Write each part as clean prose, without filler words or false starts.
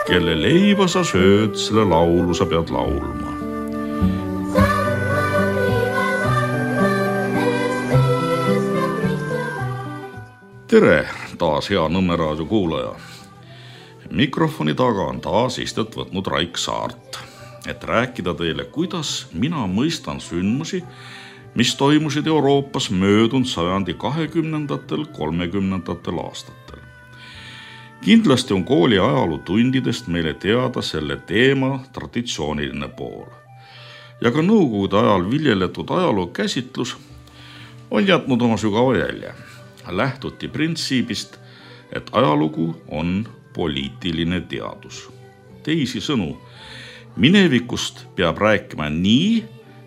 Kelle leiba sa sööd, selle laulu sa pead laulma. Tere taas hea Nõmme raadio kuulaja. Mikrofoni taga on taas istet võtnud Raik Saart, et rääkida teile, kuidas mina mõistan sündmusi, mis toimusid Euroopas möödunud sajandi 20–30 aastatel. Kindlasti on kooli ajalootundidest meile teada selle teema traditsiooniline pool. Ja ka nõukogude ajal viljeletud ajaloo käsitlus on jätnud oma sügava jälje. Lähtuti printsiibist, et ajalugu on poliitiline teadus. Teisisõnu, minevikust peab rääkima nii,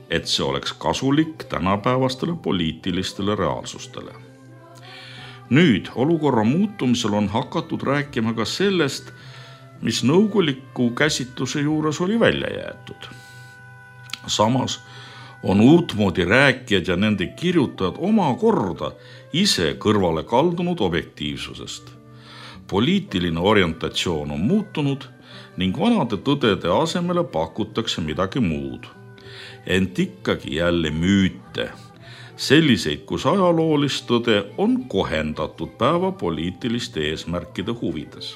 et see oleks kasulik tänapäevastele poliitilistele reaalsustele. Nüüd olukorra muutumisel on hakatud rääkima ka sellest, mis nõukoguliku käsitluse juures oli välja jäetud. Samas on uutmoodi rääkijad ja nende kirjutajad omakorda ise kõrvale kaldunud objektiivsusest. Poliitiline orientatsioon on muutunud ning vanade tõdede asemele pakutakse midagi muud. Ent ikkagi jälle müüte, selliseid, kus ajaloolist tõde on kohendatud päeva poliitiliste eesmärkide huvides.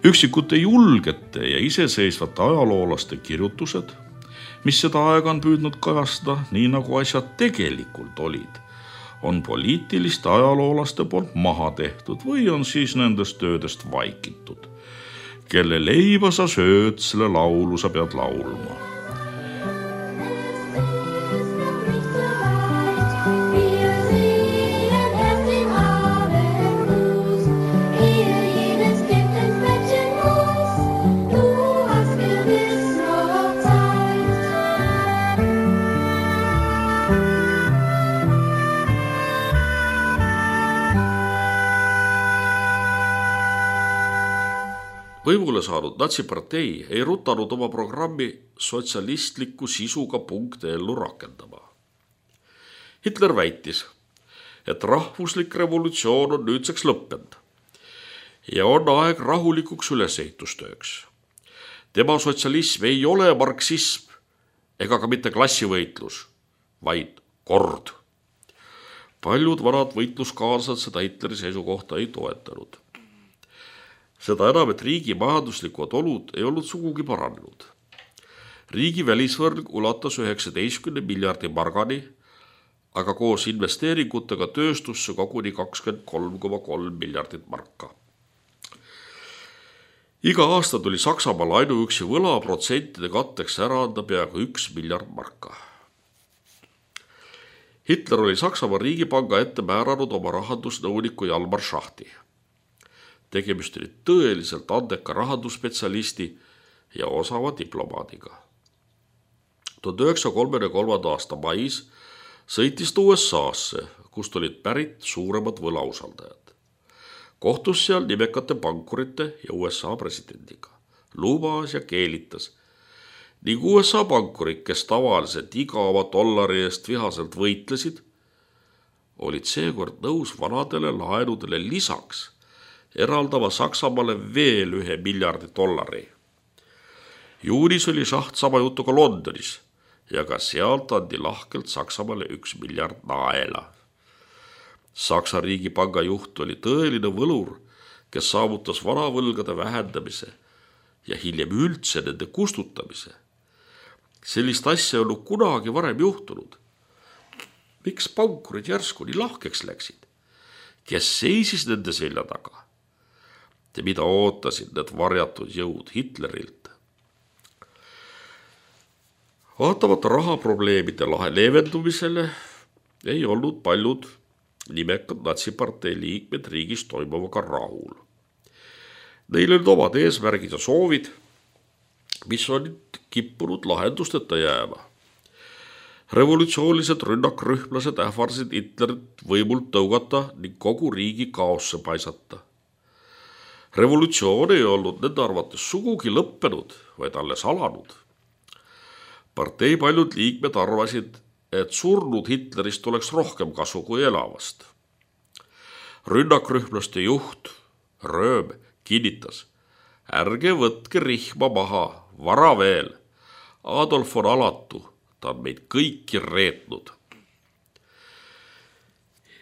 Üksikute julgete ja iseseisvate ajaloolaste kirjutused, mis seda aega on püüdnud kajastada nii nagu asjad tegelikult olid, on poliitiliste ajaloolaste poolt maha tehtud või on siis nendest töödest vaikitud. Kelle leiba sa sööd, selle laulu sa pead laulma. Võimule saanud natsipartei ei rutanud oma programmi sotsialistliku sisuga punkte ellu rakendama. Hitler väitis, et rahvuslik revolutsioon on nüüdseks lõppenud ja on aeg rahulikuks ülesehitustööks. Tema sotsialism ei ole marksism ega ka mitte klassivõitlus, vaid kord. Paljud vanad võitluskaaslased seda Hitleri seisukohta ei toetanud. Seda enam, et riigi majanduslikud olud ei olnud sugugi paranenud. Riigi välisvõrg ulatas 19 miljardi margani, aga koos investeeringutega tööstusse koguni 23,3 miljardit marka. Iga aasta tuli Saksamaal ainuüksi võlaprotsentide katteks ära anda peaaegu 1 miljard marka. Hitler oli Saksamaa riigipanga ette määranud oma rahandusnõuniku Jalmar Schachti. Tegemist oli tõeliselt andeka rahandusspetsialisti ja osava diplomaadiga. 1933. aasta mais sõitis ta USA-sse, kust olid pärit suuremad võlausaldajad. Kohtus seal nimekate pankurite ja USA presidendiga. Lubas ja keelitas. Ning USA pankurid, kes tavaliselt iga oma dollari eest vihaselt võitlesid, olid seekord nõus vanadele laenudele lisaks eraldama Saksamaale veel 1 miljardi dollari. Juunis oli Schacht sama jutuga Londonis ja ka sealt andi lahkelt Saksamaale 1 miljard naela. Saksa riigipanga juht oli tõeline võlur, kes saavutas vanavõlgade vähendamise ja hiljem üldse nende kustutamise. Sellist asja ei olnud kunagi varem juhtunud. Miks pankurid järsku nii lahkeks läksid? Kes seisis nende selja taga? Ja mida ootasid need varjatud jõud Hitlerilt? Vaatamata rahaprobleemide leevendumisele ei olnud paljud nimekad natsipartei liikmed riigis toimuvaga rahul. Neil olid omad eesmärgid ja soovid, mis olid kippunud lahendusteta jääma. Revolutsioonilised rünnakrühmlased ähvardasid Hitlerit võimult tõugata ning kogu riigi kaosse paisata. Revolutsioon ei olnud nende arvates sugugi lõppenud, vaid alles alanud. Partei paljud liikmed arvasid, et surnud Hitlerist oleks rohkem kasu kui elavast. Rünnakrühmlaste juht Rööm kinnitas, ärge võtke rihma maha, vara veel. Adolf on alatu, ta on meid kõiki reetnud.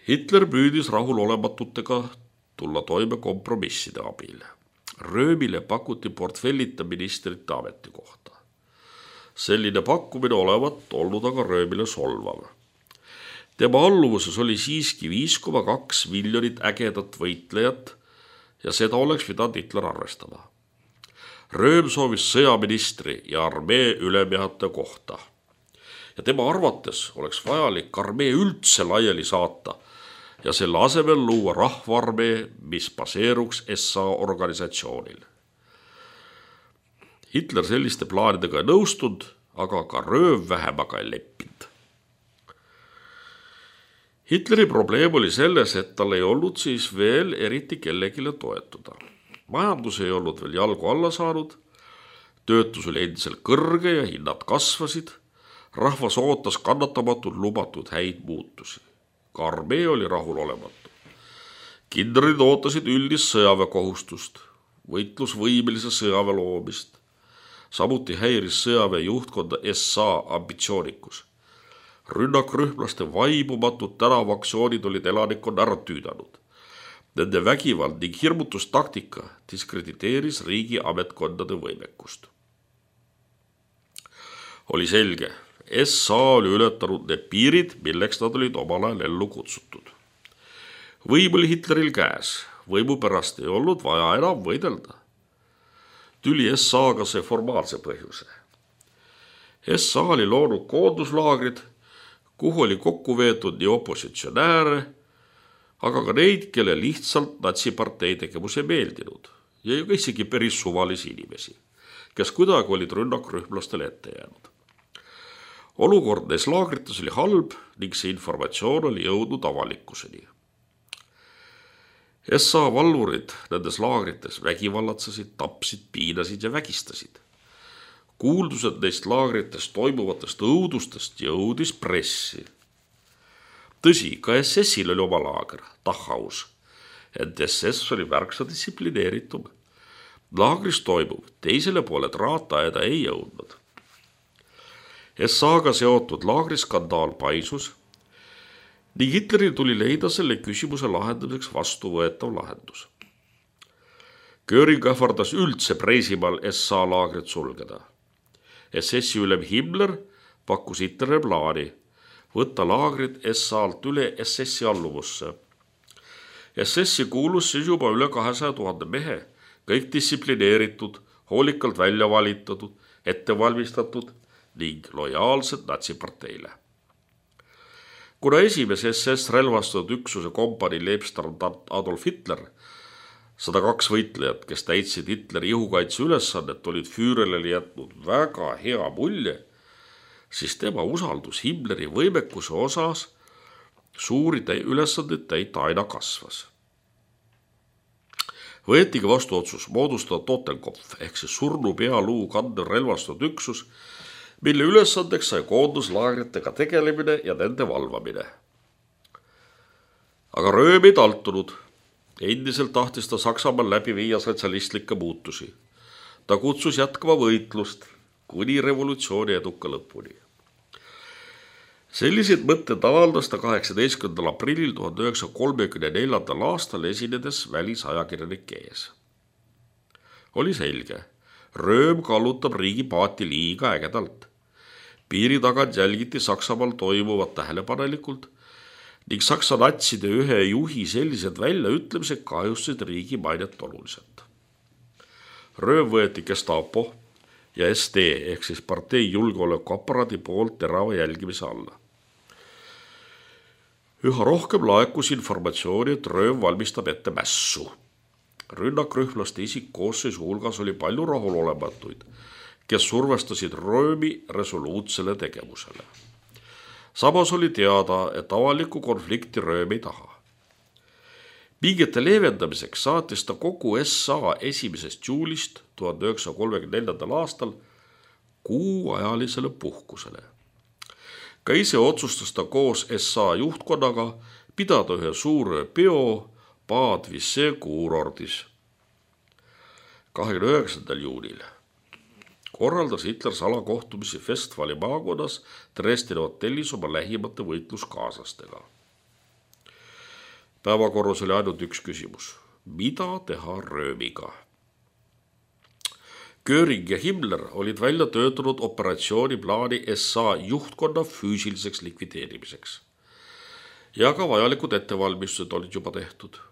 Hitler püüdis rahulolematutega tulla toime kompromisside abil. Röömile pakuti portfellita ministrite ametikohta. Selline pakkumine olevat olnud aga Röömile solvav. Tema alluvuses oli siiski 5,2 miljonit ägedat võitlejat ja seda oleks pidanud Hitler arvestama. Rööm soovis sõjaministri ja armee ülemjuhataja kohta. Ja tema arvates oleks vajalik armee üldse laiali saata ja selle asemel luua rahvaarmee, mis baseeruks SA organisatsioonil. Hitler selliste plaanidega ei nõustunud, aga ka Rööm vähemaga ei leppinud. Hitleri probleem oli selles, et tal ei olnud siis veel eriti kellegile toetuda. Majandus ei olnud veel jalgu alla saanud, töötus oli endiselt kõrge ja hinnad kasvasid, rahvas ootas kannatamatult lubatud häid muutusi. Ka armee oli rahulolematu. Kindralid ootasid üldist sõjaväekohustust, võitlusvõimelise sõjaväe loomist. Samuti häiris sõjaväe juhtkonda SA ambitsioonikus. Rünnakrühmlaste vaibumatud tänavaktsioonid olid elanikkonna ära tüüdanud. Nende vägivald ning hirmutustaktika diskrediteeris riigi ametkondade võimekust. Oli selge, SA oli ületanud need piirid, milleks nad olid omal ajal ellu kutsutud. Võim oli Hitleril käes, võimu pärast ei olnud vaja enam võidelda. Tüli SA-ga see formaalse põhjuse. SA oli loonud koonduslaagrid, kuhu oli kokku veetud nii opositsionääre, aga ka neid, kelle lihtsalt natsipartei tegevus ei meeldinud ja ju isegi päris suvalisi inimesi, kes kuidagi olid rünnakrühmlastele ette jäänud. Olukord neis laagrites oli halb ning see informatsioon oli jõudnud avalikkuseni. SA valvurid nendes laagrites vägivallatsesid, tapsid, piinasid ja vägistasid. Kuuldused neist laagrites toimuvatest õudustest jõudis pressi. Tõsi, ka SS-il oli oma laager, Dachau's, ent SS oli märksa distsiplineeritum. Laagris toimuv teisele poole traataeda ei jõudnud. SA-ga seotud laagriskandaal paisus ning Hitleril tuli leida selle küsimuse lahendamiseks vastuvõetav lahendus. Göring ähvardas üldse Preisimaal SA laagrit sulgeda. SS-i ülem Himmler pakkus Hitlerile plaani võtta laagrid SA-lt üle SS-i alluvusse. SS-i kuulus siis juba üle 200 000 mehe, kõik distsiplineeritud, hoolikalt välja valitatud, ettevalmistatud ning lojaalsed natsiparteile. Kuna esimese SS relvastatud üksuse kompanii leibstandard Adolf Hitler, 102 võitlejat, kes täitsid Hitleri ihukaitse ülesannet, olid Führerile jätnud väga hea mulje, siis tema usaldus Himmleri võimekuse osas suuri ülesandeid täita aina kasvas. Võetigi vastu otsus moodustada Totenkopf ehk see surnu pealuu kandev relvastatud üksus, mille ülesandeks sai koonduslaagritega tegelemine ja nende valvamine. Aga Rööm ei taltunud. Endiselt tahtis ta Saksamaal läbi viia sotsialistlikke muutusi. Ta kutsus jätkama võitlust kuni revolutsiooni eduka lõpuni. Sellised mõtted avaldas ta 18. aprillil 1934. aastal esinedes välisajakirjanike ees. Oli selge, Rööm kallutab riigi paati liiga ägedalt. Piiri tagant jälgiti Saksamaal toimuvat tähelepanelikult ning Saksa natside ühe juhi sellised väljaütlemised kahjustasid riigi mainet oluliselt. Rööm võeti Gestapo ja SD ehk siis partei julgeolekuaparaadi poolt terava jälgimise alla. Üha rohkem laekus informatsiooni, et Rööm valmistab ette mässu. Rünnakrühmlaste isikkoosseisu hulgas oli palju rahulolematuid, kes survestasid Röömi resoluutsele tegevusele. Samas oli teada, et avalikku konflikti Rööm ei taha. Pingete leevendamiseks saatis ta kogu SA 1. juulist 1934. aastal kuuajalisele puhkusele. Ka ise otsustas ta koos SA juhtkonnaga pidada ühe suure peo Bad Visse kuurordis. 29. juunil korraldas Hitler salakohtumisi Westfali maakonnas Dresdeni hotellis oma lähimate võitluskaaslastega. Päevakorras oli ainult üks küsimus. Mida teha röömiga? Göring ja Himmler olid välja töötanud operatsiooniplaani SA juhtkonna füüsiliseks likvideerimiseks. Ja ka vajalikud ettevalmistused olid juba tehtud.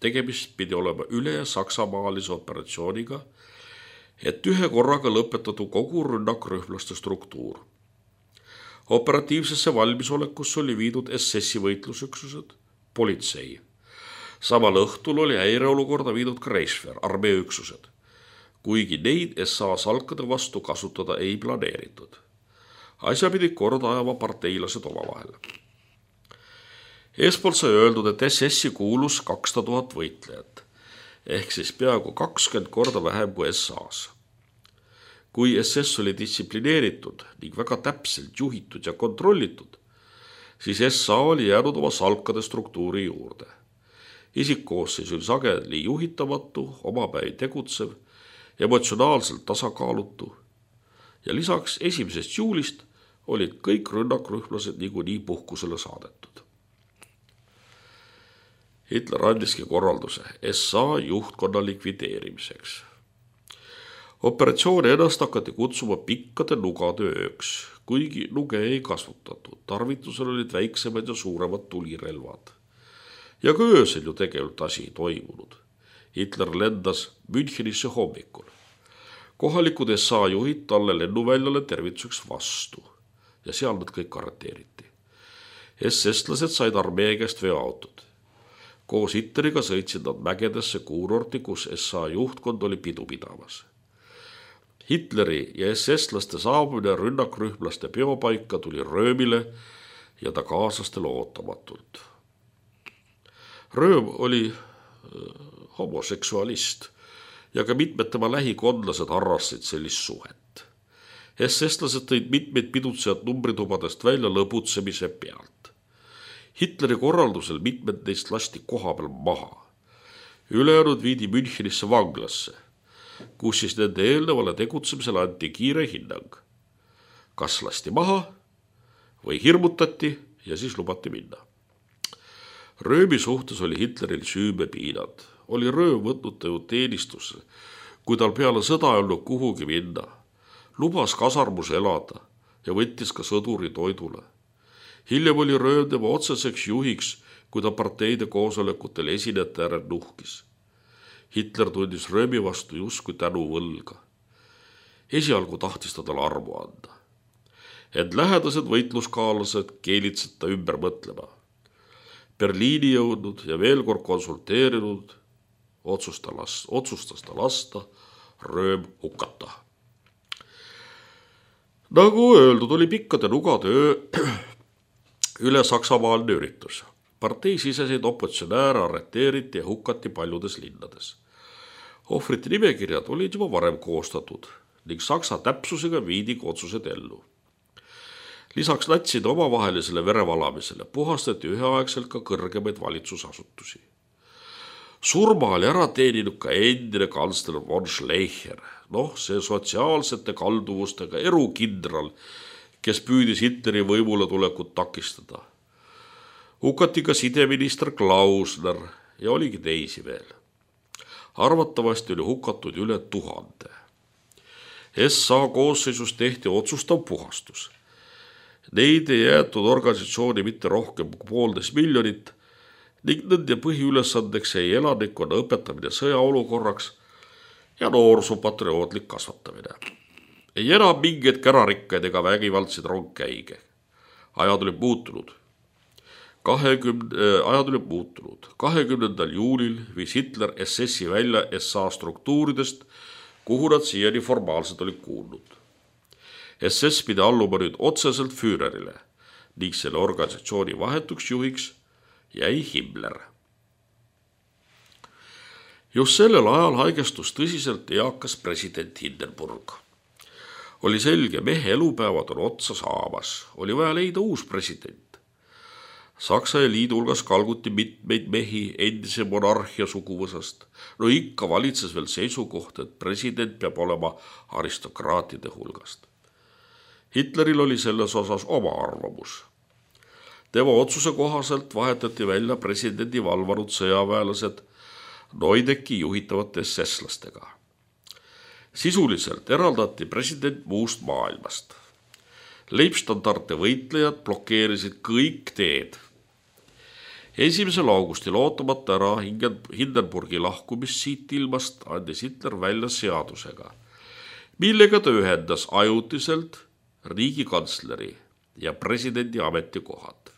Tegemist pidi olema üle saksamaalise operatsiooniga, et ühe korraga lõpetatud kogu rünnakrühmlaste struktuur. Operatiivsesse valmisolekusse oli viidud SS-i võitlusüksused, politsei. Samal õhtul oli häireolukorda viidud ka Reichswehr, armee üksused, kuigi neid SA salkade vastu kasutada ei planeeritud. Asja pidi korda ajama parteilased omavahel. Eespoolt sai öeldud, et SS-i kuulus 200 000 võitlejat, ehk siis peaaegu 20 korda vähem kui SA-s. Kui SS oli distsiplineeritud ning väga täpselt juhitud ja kontrollitud, siis SA oli jäänud oma salkade struktuuri juurde. Isikkoosseis oli sageli juhitamatu, omapäi tegutsev, emotsionaalselt tasakaalutu ja lisaks 1. juulist olid kõik rünnakrühmlased niikuinii puhkusele saadetud. Hitler andiski korralduse SA juhtkonna likvideerimiseks. Operatsiooni ennast hakati kutsuma pikkade nugade ööks, kuigi nuge ei kasutatud. Tarvitusel olid väiksemad ja suuremad tulirelvad. Ja ka öösel ju tegelikult asi ei toimunud. Hitler lendas Münchenisse hommikul. Kohalikud SA juhid talle lennuväljale tervituseks vastu ja seal nad kõik arreteeriti. SS-lased said armee käest veoautod. Koos Hitleriga sõitsid nad mägedesse kuurorti, kus SA juhtkond oli pidu pidamas. Hitleri ja SS-laste saabumine rünnakrühmlaste peopaika tuli röömile ja ta kaaslastele ootamatult. Rööm oli homoseksualist ja ka mitmed tema lähikondlased harrastasid sellist suhet. SS-lased tõid mitmeid pidutsejad numbritubadest välja lõbutsemise pealt. Hitleri korraldusel mitmed neist lasti koha peal maha. Ülejäänud viidi Münchenisse vanglasse, kus siis nende eelnevale tegutsemisele anti kiire hinnang. Kas lasti maha või hirmutati ja siis lubati minna. Röömi suhtes oli Hitleril süümepiinad. Oli rööm võtnud ta ju teenistusse, kui tal peale sõda ei olnud kuhugi minna. Lubas kasarmus elada ja võttis ka sõduri toidule. Hiljem oli rööm tema otseseks juhiks, kui ta parteide koosolekutel esinejate äärel nuhkis. Hitler tundis röömi vastu justkui tänu võlga. Esialgu tahtis ta talle armu anda. Ent lähedased võitluskaalased keelitsid ta ümber mõtlema. Berliini jõudnud ja veel kord konsulteerinud, otsustas ta lasta rööm hukata. Nagu öeldud, oli pikkade nugade öö üle saksamaalne üritus. Partei siseseid opositsionääre arreteeriti ja hukati paljudes linnades. Ohvrite nimekirjad olid juba varem koostatud ning saksa täpsusega viidigi otsused ellu. Lisaks natside omavahelisele verevalamisele puhastati üheaegselt ka kõrgemaid valitsusasutusi. Surma oli ära teeninud ka endine kantsler von Schleicher, see sotsiaalsete kalduvustega erukindral, kes püüdis Hitleri võimule tulekut takistada. Hukati ka sideminister Klausner ja oligi teisi veel. Arvatavasti oli hukatud üle 1000. SA koosseisus tehti otsustav puhastus. Neid ei jäetud organisatsiooni mitte rohkem kui 1,5 miljonit ning nende põhiülesandeks jäi elanikkonna õpetamine sõjaolukorraks ja noorsoopatriootlik kasvatamine. Ei enam mingeid kärarikkaid ega vägivaldseid rongkäige. Ajad olid muutunud. 20. juulil viis Hitler SS-i välja SA struktuuridest, kuhu nad siiani formaalselt olid kuulnud. SS pidi alluma nüüd otseselt Führerile ning selle organisatsiooni vahetuks juhiks jäi Himmler. Just sellel ajal haigestus tõsiselt eakas president Hindenburg. Oli selge, mehe elupäevad on otsa saamas, oli vaja leida uus president. Saksa eliidi hulgas kalguti mitmeid mehi endise monarhia suguvõsast. No ikka valitses veel seisukoht, et president peab olema aristokraatide hulgast. Hitleril oli selles osas oma arvamus. Tema otsuse kohaselt vahetati välja presidendi valvanud sõjaväelased Neudeki juhitavate SS-lastega. Sisuliselt eraldati president muust maailmast. Leibstandarte võitlejad blokeerisid kõik teed. 1. augustil ootamata ära Hindenburgi lahkumist siit ilmast andis Hitler välja seadusega, millega ta ühendas ajutiselt riigikantsleri ja presidendi ametikohad.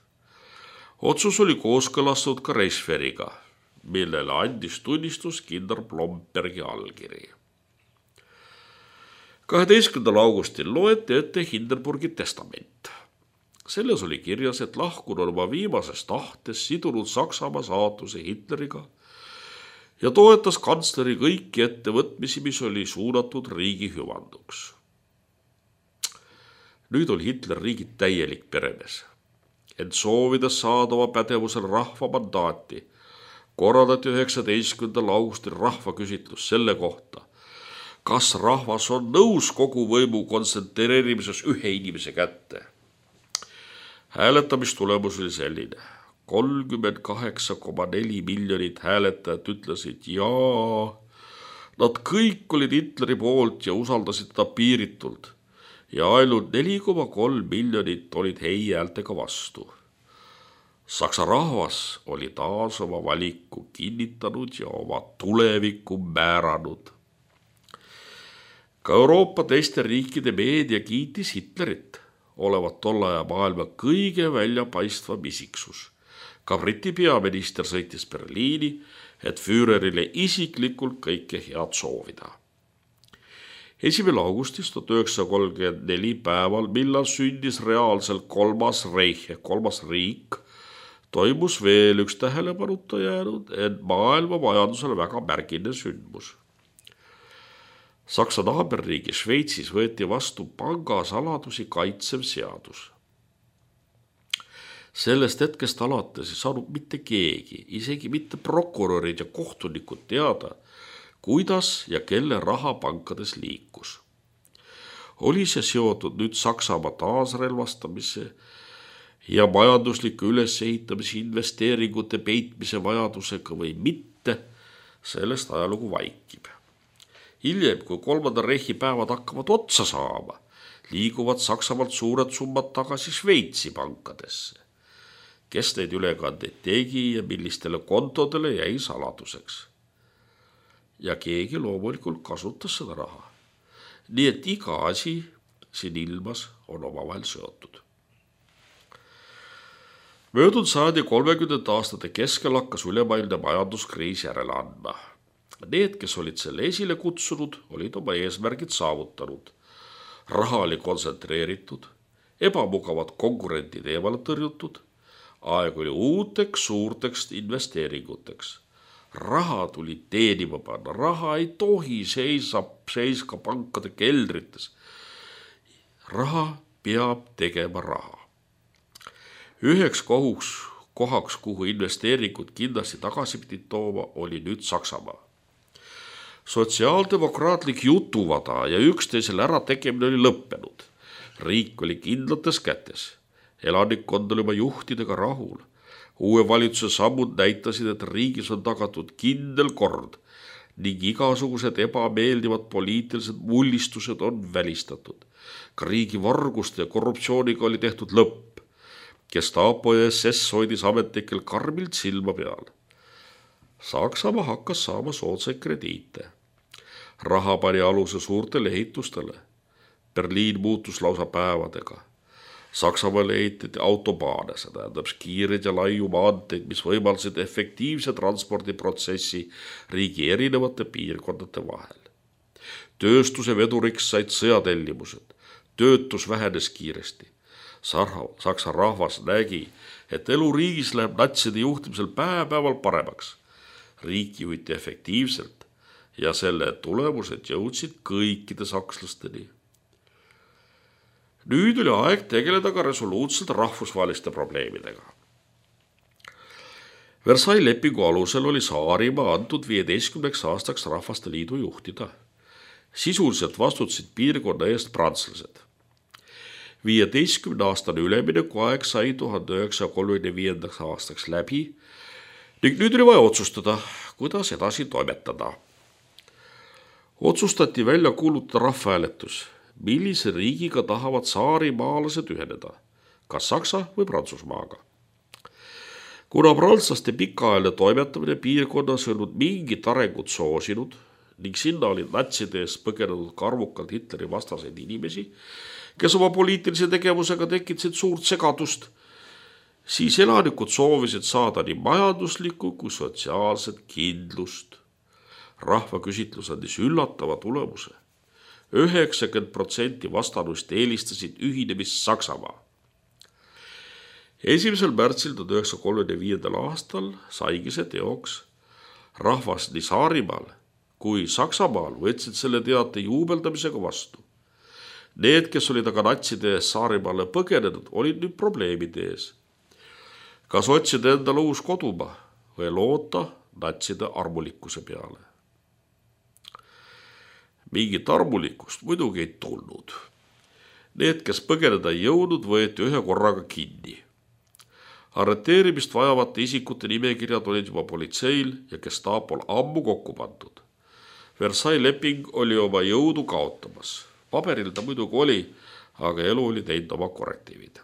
Otsus oli kooskõlastatud ka Reichswehriga, millele andis tunnistus kindral Blombergi allkiri. 12. augustil loeti ette Hindenburgi testament. Selles oli kirjas, et lahkunud oma viimases tahtes sidunud Saksamaa saatuse Hitleriga ja toetas kantsleri kõiki ettevõtmisi, mis oli suunatud riigi hüvanduks. Nüüd oli Hitler riigi täielik peremees, ent soovides saada oma pädevusel rahva mandaati, korraldati 19. augustil rahvaküsitlus selle kohta, kas rahvas on nõus kogu võimu kontsentreerimises ühe inimese kätte. Hääletamistulemus oli selline. 38,4 miljonit hääletajat ütlesid jaa. Nad kõik olid Hitleri poolt ja usaldasid ta piiritult ja ainult 4,3 miljonit olid ei-häältega vastu. Saksa rahvas oli taas oma valiku kinnitanud ja oma tulevikku määranud. Ka Euroopa teiste riikide meedia kiitis Hitlerit olevat tolle aja maailma kõige väljapaistvam isiksus. Ka Briti peaminister sõitis Berliini, et Führerile isiklikult kõike head soovida. 1. augustis 1934 päeval, millal sündis reaalselt kolmas reich ehk kolmas riik, toimus veel üks tähelepanuta jäänud, ent maailma majandusele väga märgiline sündmus. Saksa naaberriigi Šveitsis võeti vastu pangasaladusi kaitsev seadus. Sellest hetkest alates ei saanud mitte keegi, isegi mitte prokurörid ja kohtunikud teada, kuidas ja kelle raha pankades liikus. Oli see seotud nüüd Saksamaa taasrelvastamise ja majandusliku ülesehitamise investeeringute peitmise vajadusega või mitte, sellest ajalugu vaikib. Hiljem, kui 3. reihi päevad hakkavad otsa saama, liiguvad Saksamaalt suured summad tagasi Šveitsi pankadesse. Kes neid ülekandeid tegi ja millistele kontodele jäi saladuseks. Ja keegi loomulikult kasutas seda raha. Nii et iga asi siin ilmas on omavahel seotud. Möödunud sajandi 30. aastate keskel hakkas ülemaailmne majanduskriis järele andma. Need, kes olid selle esile kutsunud, olid oma eesmärgid saavutanud. Raha oli kontsentreeritud, ebamugavad konkurentid eemale tõrjutud, aeg oli uuteks suurteks investeeringuteks. Raha tuli teenima panna, raha ei tohi seiska pankade keldrites. Raha peab tegema raha. Üheks kohaks, kuhu investeeringud kindlasti tagasi pidid tooma, oli nüüd Saksamaa. Sotsiaaldemokraatlik jutuvada ja üksteisele ära tegemine oli lõppenud. Riik oli kindlates kätes. Elanikkond oli oma juhtidega rahul. Uue valitsuse sammud näitasid, et riigis on tagatud kindel kord ning igasugused ebameeldivad poliitilised mullistused on välistatud. Ka riigi varguste ja korruptsiooniga oli tehtud lõpp. Gestapo ja SS hoidis ametnikel karmilt silma peal. Saksamaa hakkas saama soodsaid krediite. Raha pani aluse suurtele ehitustele. Berliin muutus lausa päevadega. Saksamaale ehitati autobaane, see tähendab kiired ja laiu maanteid, mis võimaldasid efektiivse transpordiprotsessi riigi erinevate piirkondade vahel. Tööstuse veduriks said sõjatellimused. Töötus vähenes kiiresti. Saksa rahvas nägi, et elu riigis läheb natside juhtimisel päeval paremaks. Riik juhiti efektiivselt ja selle tulemused jõudsid kõikide sakslasteni. Nüüd oli aeg tegeleda ka resoluutselt rahvusvaheliste probleemidega. Versailles lepingu alusel oli Saarimaa antud 15 aastaks Rahvaste Liidu juhtida. Sisuliselt vastutasid piirkonna eest prantslased. 15-aastane üleminekuaeg sai 1935 aastaks läbi ning nüüd oli vaja otsustada, kuidas edasi toimetada. Otsustati välja kuulutada rahvahääletus, millise riigiga tahavad saarimaalased üheneda, kas Saksa või Prantsusmaaga. Kuna prantslaste pikaajaline toimetamine piirkonnas ei olnud mingit arengut soosinud ning sinna olid natside eest põgenenud ka arvukalt Hitleri vastaseid inimesi, kes oma poliitilise tegevusega tekitasid suurt segadust, siis elanikud soovisid saada nii majanduslikku kui sotsiaalset kindlust. Rahvaküsitlus andis üllatava tulemuse. 90% vastanuist eelistasid ühinemist Saksamaa. 1. märtsil 1935. aastal saigi see teoks. Rahvas nii Saarimaal kui Saksamaal võtsid selle teate juubeldamisega vastu. Need, kes olid aga natside ees Saarimaale põgenenud, olid nüüd probleemide ees. Kas otsida endale uus kodumaa või loota natside armulikkuse peale? Mingit armulikkust muidugi ei tulnud. Need, kes põgeneda ei jõudnud, võeti ühe korraga kinni. Arreteerimist vajavate isikute nimekirjad olid juba politseil ja Gestapol ammu kokku pandud. Versailles leping oli oma jõudu kaotamas. Paberil ta muidugi oli, aga elu oli teinud oma korrektiivid.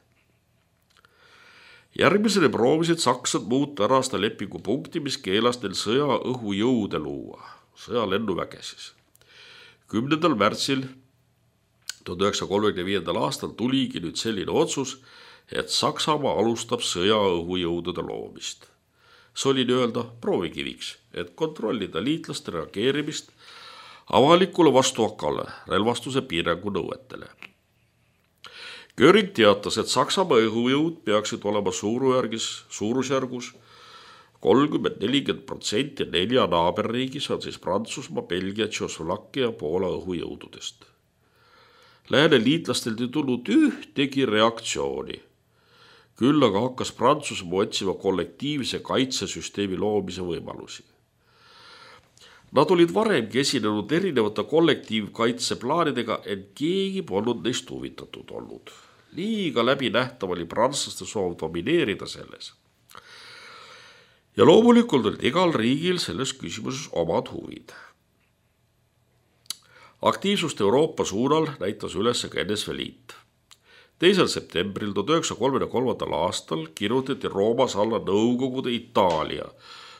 Järgmisele proovisid saksad muuta ära seda lepingu punkti, mis keelas neil sõja õhujõude luua, sõja lennuvägesis. 10. märtsil 1935. aastal tuligi nüüd selline otsus, et Saksamaa alustab sõja õhujõudude loomist. See oli nii-öelda proovikiviks, et kontrollida liitlaste reageerimist avalikule vastuhakale relvastuse piirangu nõuetele. Göring teatas, et Saksamaa õhujõud peaksid olema suurusjärgus 30-40% 4 naaberriigis, on siis Prantsusmaa, Belgia, Tšehhoslovakkia ja Poola õhujõududest. Lääne liitlastelt ei tulnud ühtegi reaktsiooni. Küll aga hakkas Prantsusmaa otsima kollektiivse kaitsesüsteemi loomise võimalusi. Nad olid varemgi esinenud erinevate kollektiivkaitseplaanidega, et keegi polnud neist huvitatud olnud. Liiga läbinähtav oli prantslaste soov domineerida selles. Ja loomulikult olid igal riigil selles küsimuses omad huvid. Aktiivsust Euroopa suunal näitas üles ka NSV Liit. 2. septembril 1933. aastal kirjutati Roomas alla Nõukogude Itaalia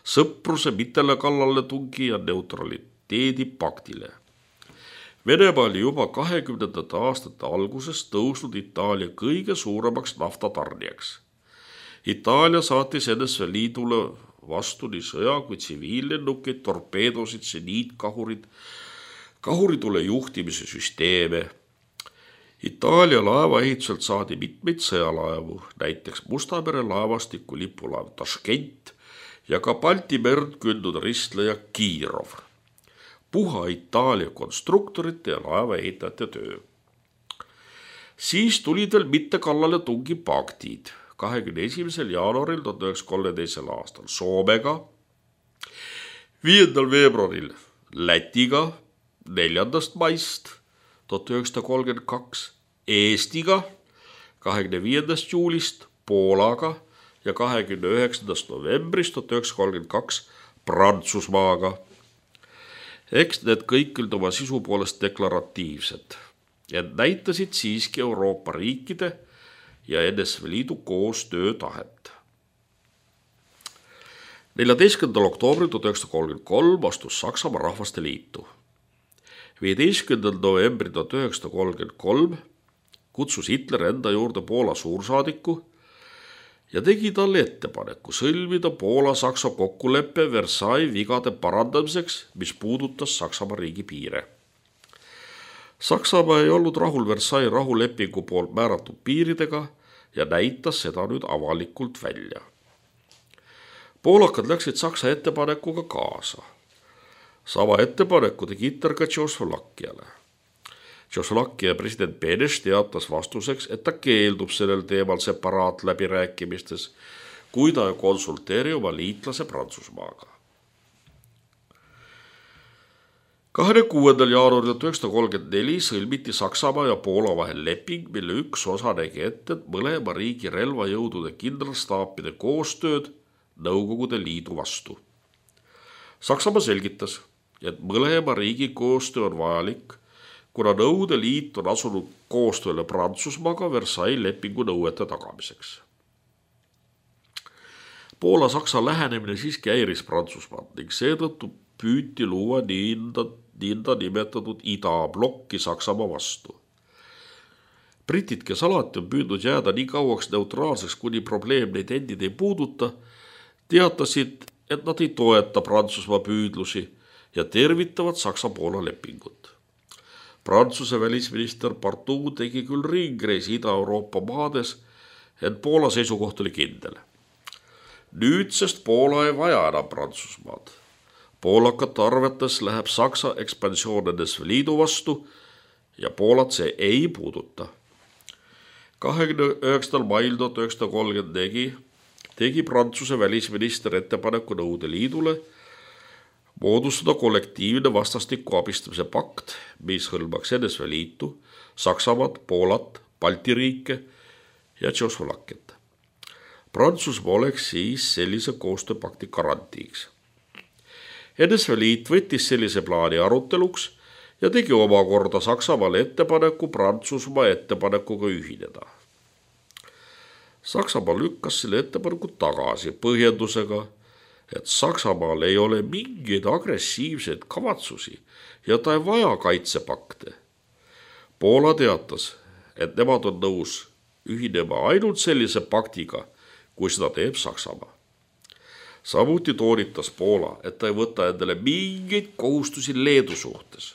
sõpruse mitele kallale tungi ja neutraliteedi paktile. Venemaa oli juba 20. aastate alguses tõusnud Itaalia kõige suuremaks naftatarnijaks. Itaalia saatis NSV Liidule vastu nii sõja kui tsiviillennukeid, torpeedosid, seniitkahurid, kahuritule juhtimise süsteeme. Itaalia laevaehituselt saadi mitmeid sõjalaevu, näiteks Musta mere laevastiku lipulaev Taškent ja ka Balti merd kündnud ristleja Kiirov. Puha Itaalia konstruktorite ja laevaehitajate töö. Siis tulid veel mitte kallale tungi paktid 21. jaanuaril 1932. aastal Soomega, 5. veebruaril Lätiga, 4. maist 1932 Eestiga, 25. juulist Poolaga ja 29. novembrist 1932 Prantsusmaaga. Eks need kõik olid oma sisu poolest deklaratiivsed ja näitasid siiski Euroopa riikide ja NSV Liidu koostöötahet. 14. oktoobril 1933 astus Saksamaa Rahvaste Liitu. 15. novembril 1933 kutsus Hitler enda juurde Poola suursaadiku ja tegi talle ettepaneku sõlmida Poola-Saksa kokkuleppe Versailles vigade parandamiseks, mis puudutas Saksamaa riigi piire. Saksamaa ei olnud rahul Versailles rahulepingu poolt määratud piiridega ja näitas seda nüüd avalikult välja. Poolakad läksid Saksa ettepanekuga kaasa. Sama ettepaneku tegi Hitler ka Tšehhoslovakkiale. Tšehhoslovakkia president Beneš teatas vastuseks, et ta keeldub sellel teemal separaat läbirääkimistes, kui ta ei konsulteeri oma liitlase Prantsusmaaga. 26. jaanuaril 1934 sõlmiti Saksamaa ja Poola vahel leping, mille üks osa nägi ette mõlema riigi relvajõudude kindralstaapide koostööd Nõukogude Liidu vastu. Saksamaa selgitas, et mõlema riigi koostöö on vajalik, kuna Nõukogude Liit on asunud koostööle Prantsusmaaga Versailles lepingu nõuete tagamiseks. Poola-Saksa lähenemine siiski häiris Prantsusmaad ning seetõttu püüti luua nõnda nimetatud idablokki Saksamaa vastu. Britid, kes alati on püüdnud jääda nii kauaks neutraalseks, kuni probleem neid endid ei puuduta, teatasid, et nad ei toeta Prantsusmaa püüdlusi ja tervitavad Saksa-Poola lepingut. Prantsuse välisminister Partout tegi küll ringreisi Ida-Euroopa maades, ent Poola seisukoht oli kindel. Nüüdsest Poola ei vaja enam Prantsusmaad. Poolakate arvates läheb Saksa ekspansioon NSV Liidu vastu ja Poolat see ei puuduta. 29. mail 1934 tegi Prantsuse välisminister ettepaneku Nõukogude Liidule moodustada kollektiivne vastastiku abistamise pakt, mis hõlmaks NSV Liitu, Saksamaad, Poolat, Balti riike ja Tšehhoslovakkiat. Prantsusmaa oleks siis sellise koostööpakti garantiiks. NSV Liit võttis sellise plaani aruteluks ja tegi omakorda Saksamaale ettepaneku Prantsusmaa ettepanekuga ühineda. Saksamaa lükkas selle ettepaneku tagasi põhjendusega, et Saksamaal ei ole mingeid agressiivseid kavatsusi ja ta ei vaja kaitsepakte. Poola teatas, et nemad on nõus ühinema ainult sellise paktiga, kui seda teeb Saksamaa. Samuti toonitas Poola, et ta ei võta endale mingeid kohustusi Leedu suhtes.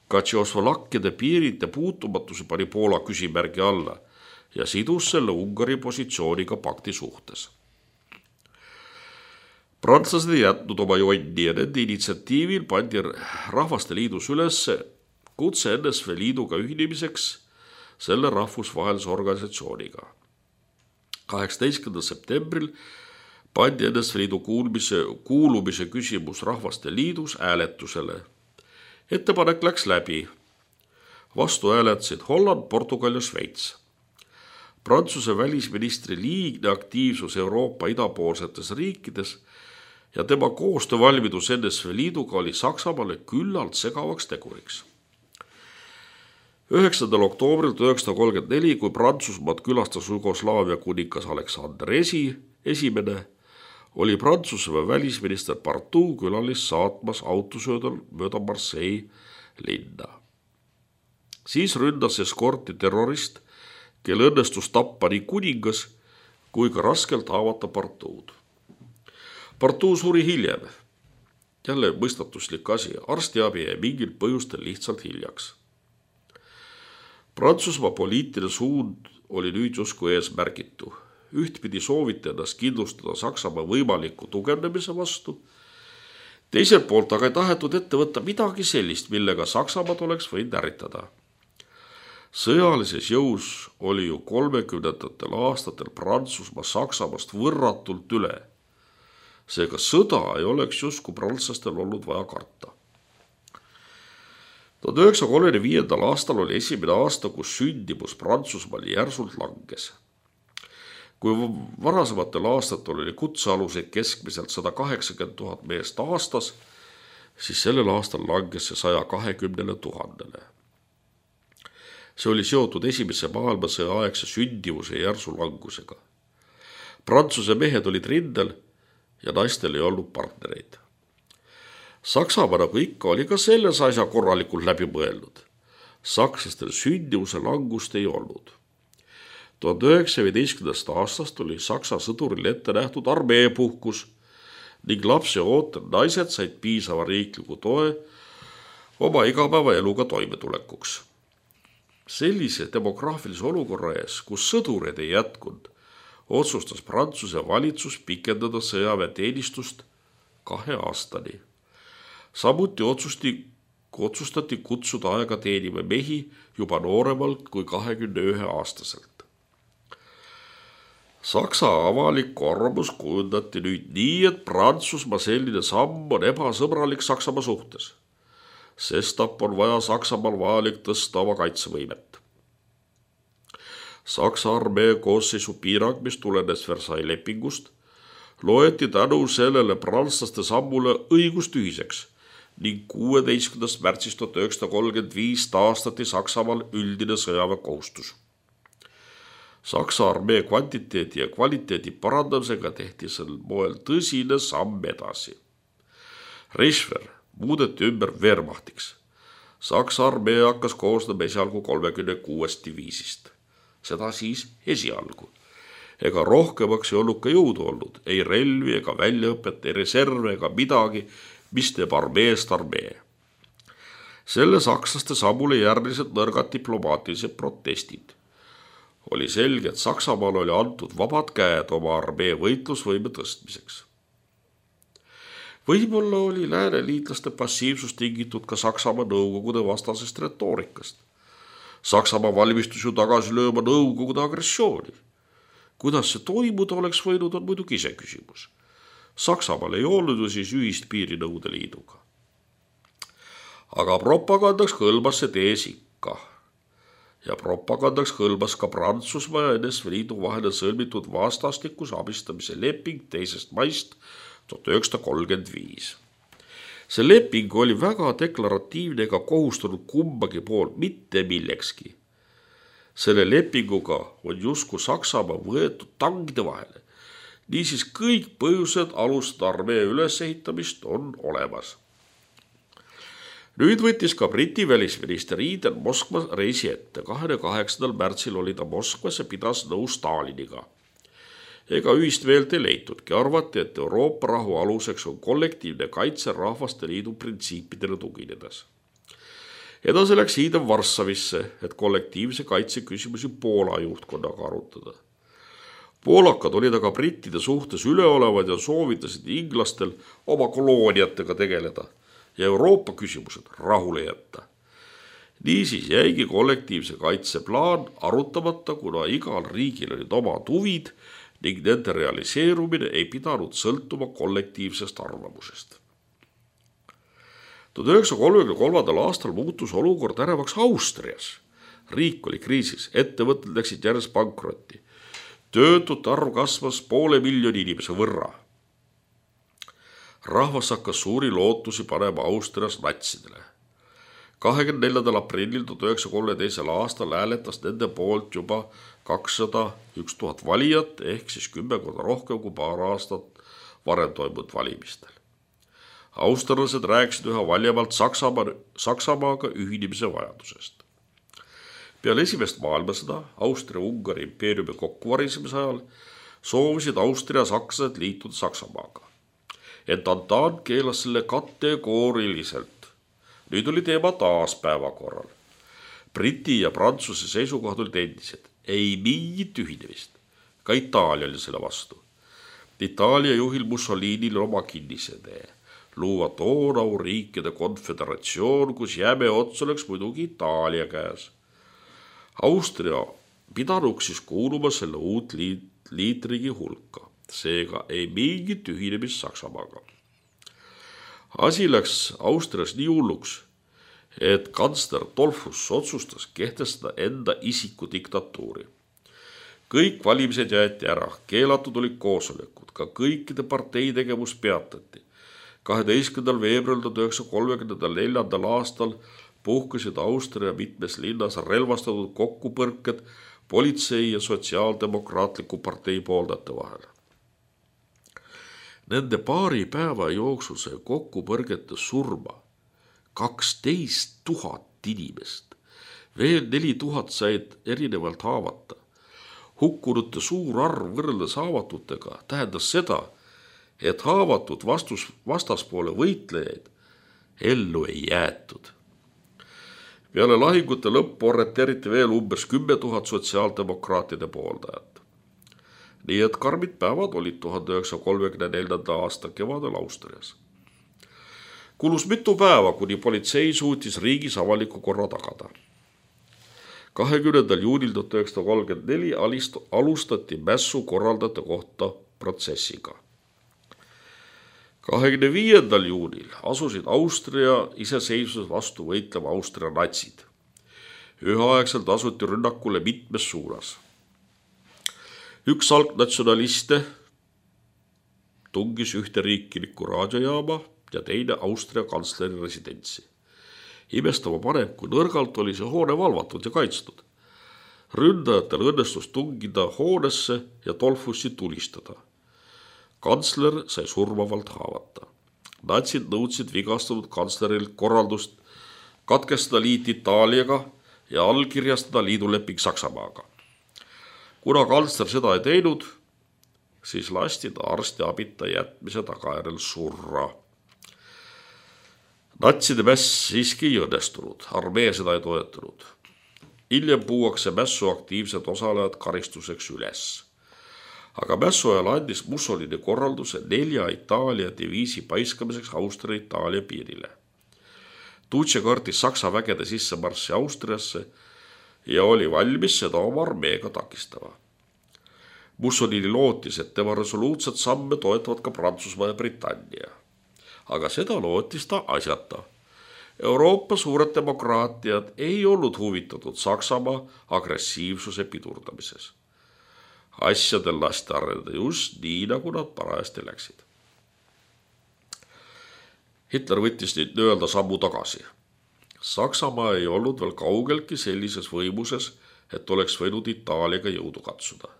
Ka Tšehhoslovakkide piiride puutumatuse pani Poola küsimärgi alla ja sidus selle Ungari positsiooniga pakti suhtes. Prantslased ei jätnud oma jonni ja nende initsiatiivil pandi Rahvaste Liidus üles kutse NSV Liiduga ühinemiseks selle rahvusvahelise organisatsiooniga. 18. septembril pandi NSV Liidu kuulumise küsimus Rahvaste Liidus hääletusele. Ettepanek läks läbi. Vastu hääletasid Holland, Portugal ja Šveits. Prantsuse välisministri liigne aktiivsus Euroopa idapoolsetes riikides ja tema koostöövalmidus NSV Liiduga oli Saksamaale küllalt segavaks teguriks. 9. oktoobril 1934, kui Prantsusmaad külastas Jugoslaavia kuningas Aleksander esimene, oli Prantsuse välisminister Partout külalist saatmas autosöödal mööda Marseille linna. Siis ründas eskorti terrorist, kel õnnestus tappa nii kuningas kui ka raskelt haavata Partout. Partout suri hiljem. Jälle mõistatuslik asi, arstiabi jäi mingil põhjustel lihtsalt hiljaks. Prantsusmaa poliitiline suund oli nüüd justkui eesmärgitu. Ühtpidi sooviti ennast kindlustada Saksamaa võimaliku tugevnemise vastu. Teiselt poolt aga ei tahetud ette võtta midagi sellist, millega Saksamaad oleks võinud ärritada. Sõjalises jõus oli ju 30. aastatel Prantsusmaa Saksamaast võrratult üle. Seega sõda ei oleks justkui prantslastel olnud vaja karta. 1935. aastal oli esimene aasta, kus sündimus Prantsusmaal järsult langes. Kui varasematel aastatel oli kutsealuseid keskmiselt 180 000 meest aastas, siis sellel aastal langes see 120 000. See oli seotud esimese maailmasõja aegse sündivuse järsu langusega. Prantsuse mehed olid rindel ja naistel ei olnud partnereid. Saksamaa nagu ikka oli ka selles asja korralikult läbi mõelnud. Sakslastel sündivuse langust ei olnud. 1915. aastast oli Saksa sõduril ette nähtud armeepuhkus ning lapse ootel naised said piisava riikliku toe oma igapäevaeluga toimetulekuks. Sellise demograafilise olukorra ees, kus sõdureid ei jätkunud, otsustas Prantsuse valitsus pikendada sõjaväeteenistust 2 aastani. Samuti otsustati kutsuda aega teenima mehi juba nooremalt kui 21-aastaselt. Saksa avalik arvamus kujundati nüüd nii, et Prantsusmaa selline samm on ebasõbralik Saksamaa suhtes. Sestap on vaja Saksamaal vajalik tõsta oma kaitsevõimet. Saksa armee koosseisu piirang, mis tulenes Versailles lepingust, loeti tänu sellele prantslaste sammule õigustühiseks ning 16. märtsist 1935 taastati Saksamaal üldine sõjaväekohustus. Saksa armee kvantiteedi ja kvaliteedi parandamisega tehti sel moel tõsine samm edasi. Reichswehr muudeti ümber Wehrmachtiks. Saksa armee hakkas koosnema esialgu 36 diviisist. Seda siis esialgu. Ega rohkemaks ei olnud ka jõudu olnud, ei relvi ega väljaõpet, ei reserve ega midagi, mis teeb armeest armee. Selle sakslaste sammule järgnesid nõrgad diplomaatilised protestid. Oli selge, et Saksamaal oli antud vabad käed oma armee võitlusvõime tõstmiseks. Võib-olla oli lääneliitlaste passiivsus tingitud ka Saksamaa nõukogude vastasest retoorikast. Saksamaa valmistus ju tagasi lööma nõukogude agressiooni. Kuidas see toimuda oleks võinud, on muidugi ise küsimus. Saksamaal ei olnud ju siis ühist piiri Nõukogude Liiduga. Aga propagandaks kõlbas see tees ikka. Ja propagandaks kõlbas ka Prantsusmaa ja NSV Liidu vahele sõlmitud vastastikuse abistamise leping 2. maist 1935. See leping oli väga deklaratiivne ega kohustanud kumbagi poolt mitte millekski. Selle lepinguga on justkui Saksamaa võetud tangide vahele. Niisiis kõik põhjused alustada armee ülesehitamist on olemas. Nüüd võttis ka Briti välisminister Eden Moskva reisi ette. 28. märtsil oli ta Moskvas ja pidas nõu Staliniga. Ega ühist meelt ei leitudki. Arvati, et Euroopa rahu aluseks on kollektiivne kaitse rahvaste liidu printsiipidele tuginedes. Edasi läks Eden Varssavisse, et kollektiivse kaitse küsimusi Poola juhtkonnaga arutada. Poolakad olid aga brittide suhtes üleolevad ja soovitasid inglastel oma kolooniatega tegeleda ja Euroopa küsimused rahule jätta. Niisiis jäigi kollektiivse kaitse plaan arutamata, kuna igal riigil olid omad huvid ning nende realiseerumine ei pidanud sõltuma kollektiivsest arvamusest. 1933. aastal muutus olukord ärevaks Austrias. Riik oli kriisis, ettevõtted läksid järjest pankrotti. Töötute arv kasvas 500 000 inimese võrra. Rahvas hakkas suuri lootusi panema Austrias natsidele. 24. aprillil 1932. aastal hääletas nende poolt juba 201 000 valijat ehk siis 10 korda rohkem kui paar aastat varem toimunud valimistel. Austerlased rääkisid üha valjemalt Saksamaaga ühinemise vajadusest. Peale esimest maailmasõda Austria-Ungari impeeriumi kokkuvarisemise ajal soovisid Austria-sakslased liituda Saksamaaga. Ent Antant keelas selle kategooriliselt. Nüüd oli teema taas päevakorral. Briti ja Prantsuse seisukohad olid endised. Ei mingit ühinemist. Ka Itaalia oli selle vastu. Itaalia juhil Mussolinil oma kinnisetee. Luua toonau riikide konföderatsioon, kus jäme ots oleks muidugi Itaalia käes. Austria pidanuks siis kuuluma selle uut liitriigi hulka. Seega ei mingit ühinemist Saksamaaga. Asi läks Austrias nii hulluks, et kantsler Dollfuss otsustas kehtestada enda isikudiktatuuri. Kõik valimised jäeti ära, keelatud olid koosolekud, ka kõikide partei tegevus peatati. 12. veebruaril 1934. aastal puhkesid Austria mitmes linnas relvastatud kokkupõrked politsei ja sotsiaaldemokraatliku partei pooldajate vahel. Nende paari päeva jooksul sai kokkupõrgete surma 12 000 inimest. Veel 4000 said erinevalt haavata. Hukkunute suur arv võrreldes haavatutega tähendas seda, et haavatud vastaspoole võitlejaid ellu ei jäetud. Peale lahingute lõppu arreteeriti veel umbes 10 000 sotsiaaldemokraatide pooldajat. Nii et karmid päevad olid 1934. aasta kevadel Austrias. Kulus mitu päeva, kuni politsei suutis riigis avaliku korra tagada. 20. juunil 1934 alustati mässu korraldajate kohta protsessiga. 25. juunil asusid Austria iseseisvuse vastu võitlema Austria natsid. Üheaegselt asuti rünnakule mitmes suunas. Üks algnatsionaliste tungis ühte riiklikku raadiojaama ja teine Austria kantsleri residentsi. Imestama paneb, kui nõrgalt oli see hoone valvatud ja kaitstud. Ründajatel õnnestus tungida hoonesse ja tolfusi tulistada. Kantsler sai surmavalt haavata. Natsid nõudsid vigastatud kantsleril korraldust katkestada liit Itaaliaga ja allkirjastada liiduleping Saksamaaga. Kuna kantsler seda ei teinud, siis lasti ta arstiabita jätmise tagajärjel surra. Natside mäss siiski ei õnnestunud, armee seda ei toetanud. Hiljem puuakse mässu aktiivsed osalejad karistuseks üles. Aga mässu ajal andis Mussolini korralduse 4 Itaalia diviisi paiskamiseks Austria-Itaalia piirile. Tuutse kartis Saksa vägede sissemarssi Austriasse ja oli valmis seda oma armeega takistama. Mussolini lootis, et tema resoluutset samme toetavad ka Prantsusmaa ja Britannia. Aga seda lootis ta asjata. Euroopa suured demokraatiad ei olnud huvitatud Saksamaa agressiivsuse pidurdamises. Asjadel lasti areneda just nii, nagu nad parajasti läksid. Hitler võttis nüüd öelda sammu tagasi. Saksamaa ei olnud veel kaugeltki sellises võimuses, et oleks võinud Itaaliaga jõudu katsuda.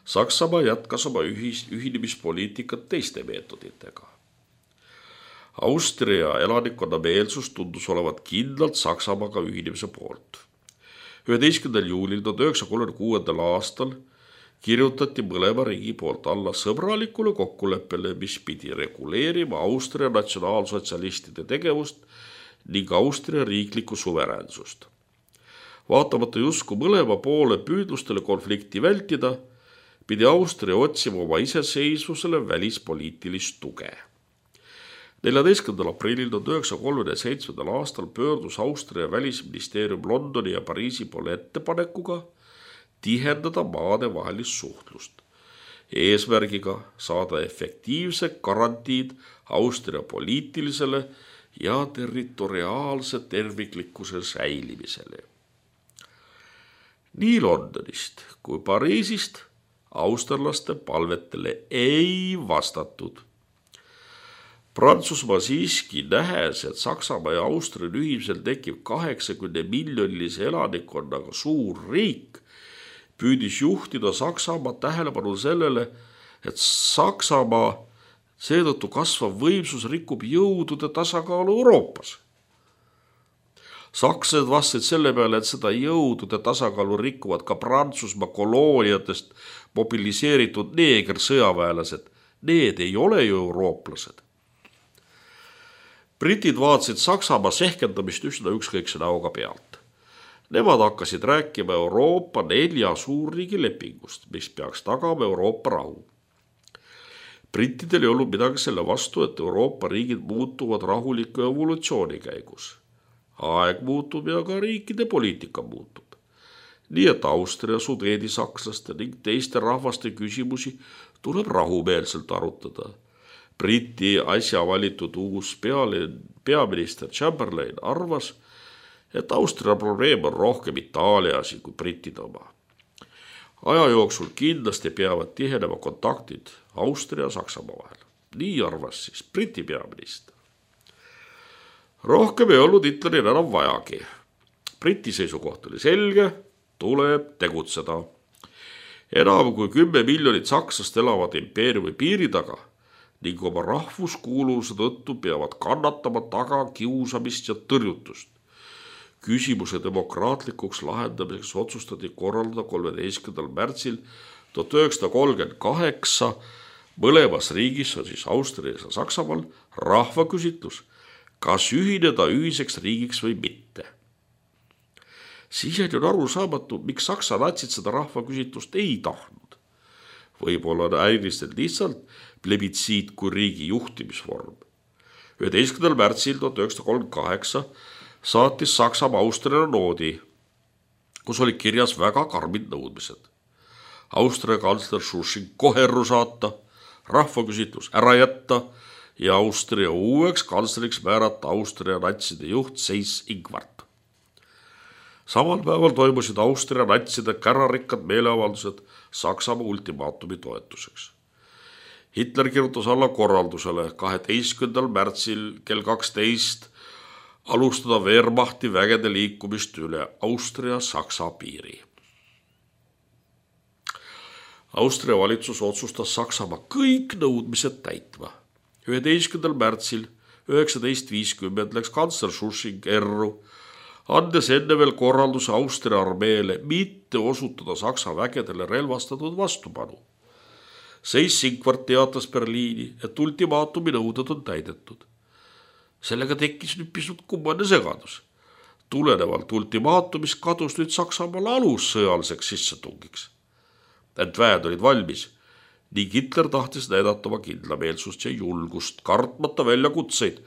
Saksamaa jätkas oma ühinemispoliitikat teiste meetoditega. Austria elanikkonna meelsus tundus olevat kindlalt Saksamaaga ühinemise poolt. 11. juulil 1936. aastal kirjutati mõlema riigi poolt alla sõbralikule kokkuleppele, mis pidi reguleerima Austria natsionaalsotsialistide tegevust ning Austria riiklikku suveräänsust. Vaatamata justkui mõlema poole püüdlustele konflikti vältida, pidi Austria otsima oma iseseisvusele välispoliitilist tuge. 14. aprillil 1937. aastal pöördus Austria välisministeerium Londoni ja Pariisi poole ettepanekuga tihendada maade vahelist suhtlust, eesmärgiga saada efektiivsed garantiid Austria poliitilisele ja territoriaalse terviklikkuse säilimisele. Nii Londonist kui Pariisist austerlaste palvetele ei vastatud. Prantsusmaa siiski nähes, et Saksamaa ja Austria ühiselt tekib 80 miljonilise elanikkonnaga suur riik, püüdis juhtida Saksamaa tähelepanu sellele, et Saksamaa seetõttu kasvav võimsus rikub jõudude tasakaalu Euroopas. Sakslased vastasid selle peale, et seda jõudude tasakaalu rikuvad ka Prantsusmaa kolooniatest mobiliseeritud neegersõjaväelased. Need ei ole ju eurooplased. Britid vaatasid Saksamaa sehkendamist üsna ükskõikse näoga pealt. Nemad hakkasid rääkima Euroopa 4 suurriigi lepingust, mis peaks tagama Euroopa rahu. Brittidel ei olnud midagi selle vastu, et Euroopa riigid muutuvad rahuliku evolutsiooni käigus. Aeg muutub ja ka riikide poliitika muutub. Nii et Austria, sudeedi sakslaste ning teiste rahvaste küsimusi tuleb rahumeelselt arutada. Briti äsja valitud uus peaminister Chamberlain arvas, et Austria probleem on rohkem Itaalia asi kui brittide oma. Aja jooksul kindlasti peavad tihenema kontaktid Austria ja Saksamaa vahel. Nii arvas siis Briti peaminister. Rohkem ei olnud Hitleril enam vajagi. Briti seisukoht oli selge, tuleb tegutseda. Enam kui 10 miljonit sakslast elavad impeeriumi piiri taga ning oma rahvuskuuluvuse tõttu peavad kannatama taga kiusamist ja tõrjutust. Küsimuse demokraatlikuks lahendamiseks otsustati korraldada 13. märtsil 1938 mõlemas riigis, on siis Austrias ja Saksamaal, rahvaküsitlus, kas ühineda ühiseks riigiks või mitte. Siiani on arusaamatu, miks Saksa natsid seda rahvaküsitlust ei tahtnud. Võib-olla häirisid lihtsalt plebitsiit kui riigi juhtimisvorm. 11. märtsil 1938 saatis Saksamaa Austriale noodi. kus oli kirjas väga karmid nõudmised. Austria kantsler Schusching kohe erru saata, rahvaküsitlus ära jätta ja Austria uueks kantsleriks määrata Austria natside juht Seyss-Inquart. Samal päeval toimusid Austria natside kärarikkad meeleavaldused Saksamaa ultimaatumi toetuseks. Hitler kirjutas alla korraldusele 12. märtsil kell 12 alustada Wehrmachti vägede liikumist üle Austria-Saksa piiri. Austria valitsus otsustas Saksamaa kõik nõudmised täitma. 11. märtsil 1950 läks kantsler Schusching erru, andes enne veel korralduse Austria armeele mitte osutada Saksa vägedele relvastatud vastupanu. Seyss-Inquart teatas Berliini, et ultimaatumi nõuded on täidetud. Sellega tekkis nüüd pisut kummane segadus. Tulenevalt ultimaatumist kadus nüüd Saksamaal alus sõjaliseks sissetungiks. Ent väed olid valmis ning Hitler tahtis näidata oma kindlameelsust ja julgust, kartmata väljakutseid,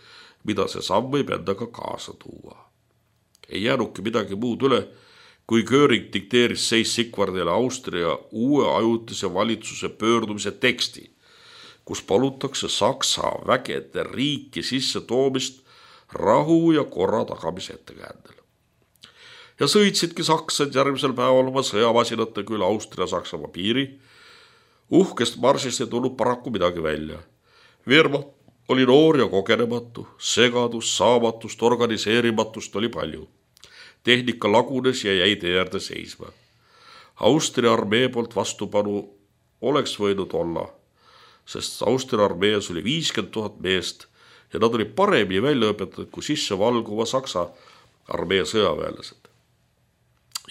mida see samm võib endaga kaasa tuua. Ei jäänudki midagi muud üle, kui Göring dikteeris Seyss-Inquartile Austria uue ajutise valitsuse pöördumise teksti, kus palutakse Saksa vägede riiki sisse toomist rahu ja korra tagamise ettekäändel. Ja sõitsidki saksad järgmisel päeval oma sõjamasinate küll Austria-Saksamaa piiri. Uhkest marsist ei tulnud paraku midagi välja. Wehrmacht oli noor ja kogenematu, segadus, saamatust, organiseerimatust oli palju. Tehnika lagunes ja jäi tee äärde seisma. Austria armee poolt vastupanu oleks võinud olla, sest Austria armees oli 50 000 meest ja nad olid paremini välja õpetatud kui sisse valguva Saksa armee sõjaväelased.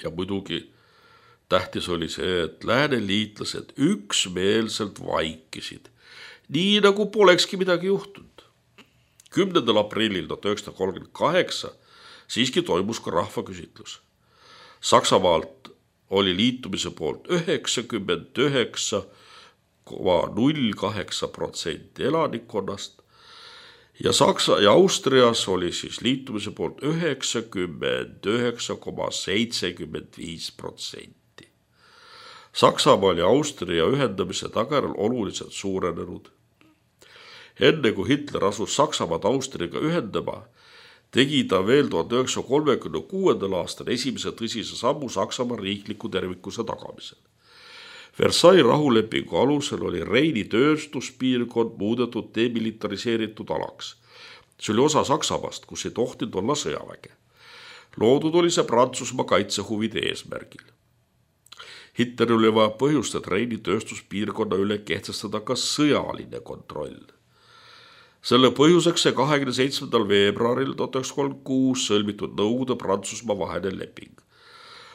Ja muidugi tähtis oli see, et lääneliitlased üksmeelselt vaikisid, nii nagu polekski midagi juhtunud. 10. aprillil 1938 siiski toimus ka rahvaküsitlus. Saksamaalt oli liitumise poolt 99,08% elanikkonnast ja Saksa ja Austrias oli siis liitumise poolt 99,75%. Saksamaal ja Austria ühendamise tagajärjel oluliselt suurenenud. Enne kui Hitler asus Saksamaad Austriaga ühendama, tegi ta veel 1936. aastal esimese tõsise sammu Saksamaa riikliku tervikuse tagamisel. Versailles rahulepingu alusel oli Reini tööstuspiirkond muudetud demilitariseeritud alaks. See oli osa Saksamaast, kus ei tohtinud olla sõjaväge. Loodud oli see Prantsusmaa kaitsehuvide eesmärgil. Hitler oli vaja põhjust, et Reini tööstuspiirkonna üle kehtestada ka sõjaline kontroll. Selle põhjuseks see 27. veebruaril 1936 sõlmitud Nõukogude Prantsusmaa vaheline leping.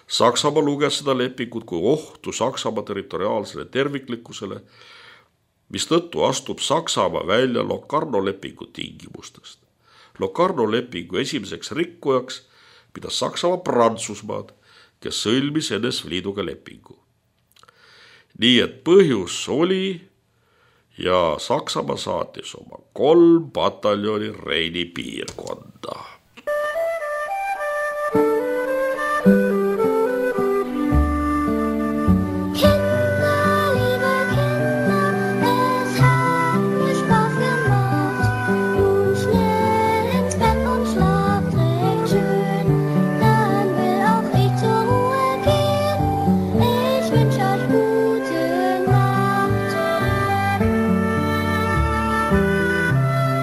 Saksamaa luges seda lepingut kui ohtu Saksamaa territoriaalsele terviklikkusele, mistõttu astub Saksamaa välja Locarno lepingu tingimustest. Locarno lepingu esimeseks rikkujaks pidas Saksamaa Prantsusmaad, kes sõlmis NSV Liiduga lepingu. Nii et põhjus oli ja Saksamaa saatis oma 3 pataljoni Reini piirkonda.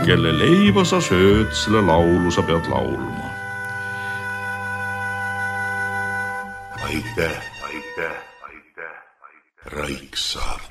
Kelle leiba sa sööd, selle laulu sa pead laulma. Aitäh, Raiksaart.